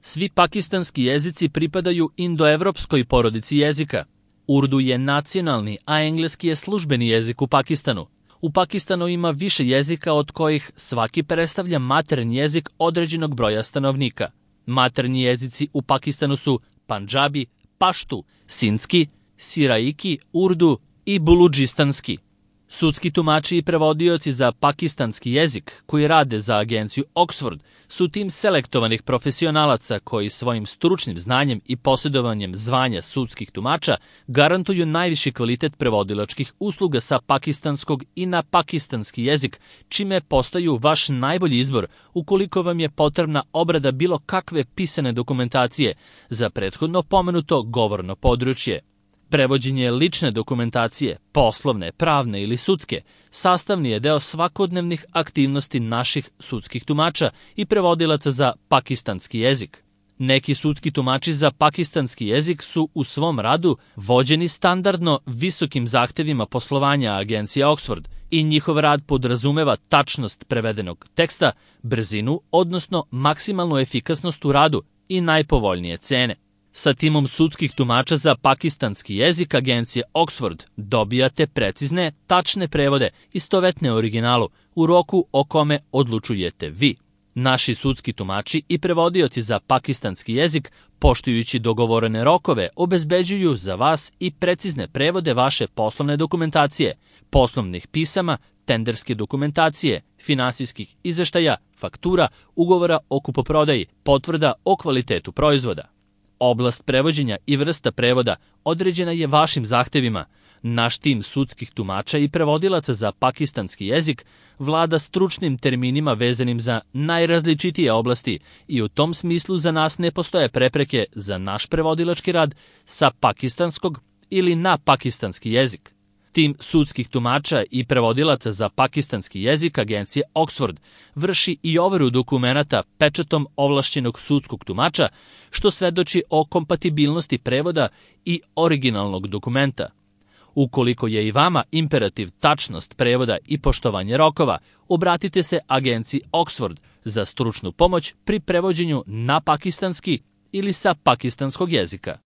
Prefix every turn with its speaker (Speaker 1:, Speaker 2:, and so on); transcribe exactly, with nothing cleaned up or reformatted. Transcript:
Speaker 1: Svi pakistanski jezici pripadaju indoevropskoj porodici jezika. Urdu je nacionalni, a engleski je službeni jezik u Pakistanu. U Pakistanu ima više jezika od kojih svaki predstavlja maternji jezik određenog broja stanovnika. Maternji jezici u Pakistanu su Pandžabi, Paštu, Sindski, Siraiki, Urdu i Buludžistanski. Sudski tumači i prevodioci za pakistanski jezik koji rade za agenciju Oxford su tim selektovanih profesionalaca koji svojim stručnim znanjem i posjedovanjem zvanja sudskih tumača garantuju najviši kvalitet prevodilačkih usluga sa pakistanskog i na pakistanski jezik, čime postaju vaš najbolji izbor ukoliko vam je potrebna obrada bilo kakve pisane dokumentacije za prethodno pomenuto govorno područje. Prevođenje lične dokumentacije, poslovne, pravne ili sudske, sastavni je deo svakodnevnih aktivnosti naših sudskih tumača i prevodilaca za pakistanski jezik. Neki sudski tumači za pakistanski jezik su u svom radu vođeni standardno visokim zahtevima poslovanja agencije Oxford i njihov rad podrazumeva tačnost prevedenog teksta, brzinu, odnosno maksimalnu efikasnost u radu i najpovoljnije cene. Sa timom sudskih tumača za pakistanski jezik agencije Oxford dobijate precizne, tačne prevode istovetne originalu u roku o kome odlučujete vi. Naši sudski tumači i prevodioci za pakistanski jezik, poštujući dogovorene rokove, obezbeđuju za vas i precizne prevode vaše poslovne dokumentacije, poslovnih pisama, tenderske dokumentacije, finansijskih izveštaja, faktura, ugovora o kupoprodaji, potvrda o kvalitetu proizvoda. Oblast prevođenja i vrsta prevoda određena je vašim zahtevima. Naš tim sudskih tumača i prevodilaca za pakistanski jezik vlada stručnim terminima vezanim za najrazličitije oblasti i u tom smislu za nas ne postoje prepreke za naš prevodilački rad sa pakistanskog ili na pakistanski jezik. Tim sudskih tumača i prevodilaca za pakistanski jezik agencije Oxford vrši i overu dokumenata pečatom ovlašćenog sudskog tumača, što svedoči o kompatibilnosti prevoda i originalnog dokumenta. Ukoliko je i vama imperativ tačnost prevoda i poštovanje rokova, obratite se agenciji Oxford za stručnu pomoć pri prevođenju na pakistanski ili sa pakistanskog jezika.